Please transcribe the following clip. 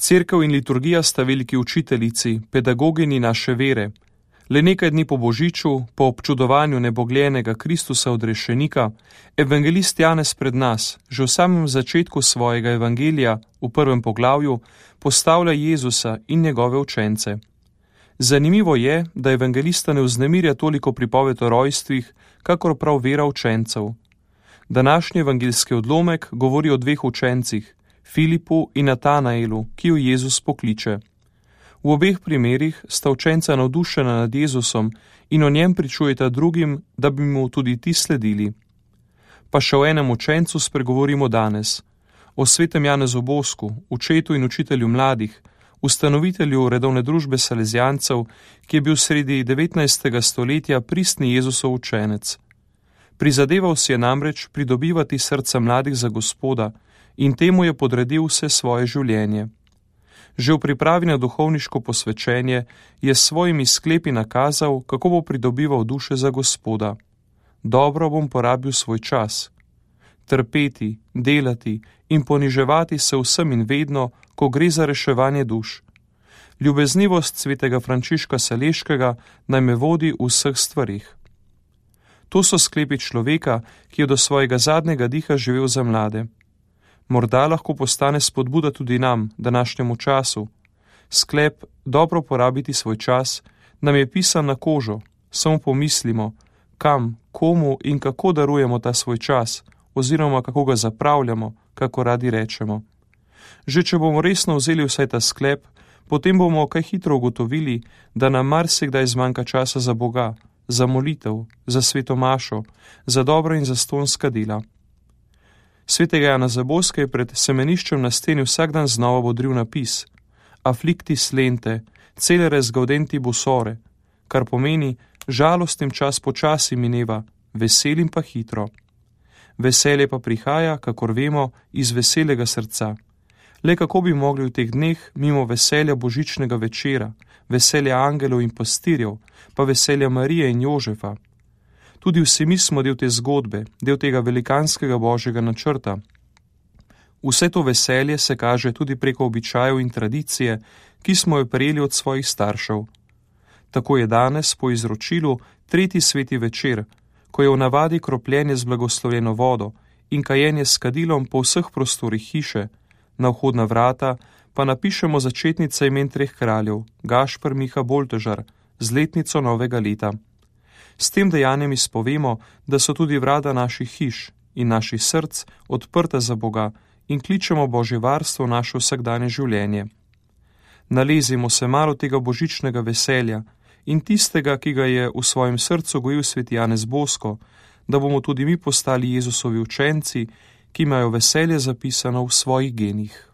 Cerkev in liturgija sta veliki učiteljici, pedagogini naše vere. Le nekaj dni po Božiču, po občudovanju nebogljenega Kristusa odrešenika, evangelist Janez pred nas, že v samem začetku svojega evangelija, v prvem poglavju, postavlja Jezusa in njegove učence. Zanimivo je, da evangelista ne vznemirja toliko pripoved o rojstvih, kakor prav vera učencev. Današnji evangeljski odlomek govori o dveh učencih, Filipu in Natanaelu, ki ju Jezus pokliče. V obeh primerih sta učenca navdušena nad Jezusom in o njem pričujeta drugim, da bi mu tudi ti sledili. Pa še o enem učencu spregovorimo danes, o svetem Janezu Bosku, očetu in učitelju mladih, ustanovitelju redovne družbe Salezijancev, ki je bil sredi 19. stoletja pristni Jezusov učenec. Prizadeval si je namreč pridobivati srca mladih za Gospoda in temu je podredil vse svoje življenje. Že v pripravi na duhovniško posvečenje je s svojimi sklepi nakazal, kako bo pridobival duše za Gospoda. Dobro bom porabil svoj čas. Trpeti, delati in poniževati se vsem in vedno, ko gre za reševanje duš. Ljubeznivost svetega Frančiška Saleškega naj me vodi v vseh stvarih. To so sklepi človeka, ki je do svojega zadnjega diha živel za mlade. Morda lahko postane spodbuda tudi nam, današnjemu času. Sklep dobro porabiti svoj čas nam je pisan na kožo, samo pomislimo, kam, komu in kako darujemo ta svoj čas, oziroma kako ga zapravljamo, kako radi rečemo. Že če bomo resno vzeli vsaj ta sklep, potem bomo kaj hitro ugotovili, da nam marsikdaj zmanjka časa za Boga, za molitev, za sveto mašo, za dobra in zastonska dela. Svetega Janeza Boska je pred semeniščem na steni vsak dan znova bodril napis Afflictis lente, celeres gaudenti busore, kar pomeni žalostim čas počasi mineva, veselim pa hitro. Veselje pa prihaja, kakor vemo, iz veselega srca. Le kako bi mogli v teh dneh mimo veselja božičnega večera, veselja angelov in pastirjev, pa veselja Marije in Jožefa. Tudi vsi mi smo del te zgodbe, del tega velikanskega božjega načrta. Vse to veselje se kaže tudi preko običajev in tradicije, ki smo jo prejeli od svojih staršev. Tako je danes po izročilu tretji sveti večer, ko je v navadi kropljenje z blagoslovljeno vodo in kajenje s kadilom po vseh prostorih hiše, na vhodna vrata pa napišemo začetnice imen treh kraljev, Gašper, Miha, Boltežar, z letnico novega leta. S tem dejanjem izpovemo, da so tudi vrata naših hiš in naših src odprta za Boga in kličemo Božje varstvo v naše vsakdanje življenje. Nalezimo se malo tega božičnega veselja in tistega, ki ga je v svojem srcu gojil sveti Janez Bosko, da bomo tudi mi postali Jezusovi učenci, ki imajo veselje zapisano v svojih genih.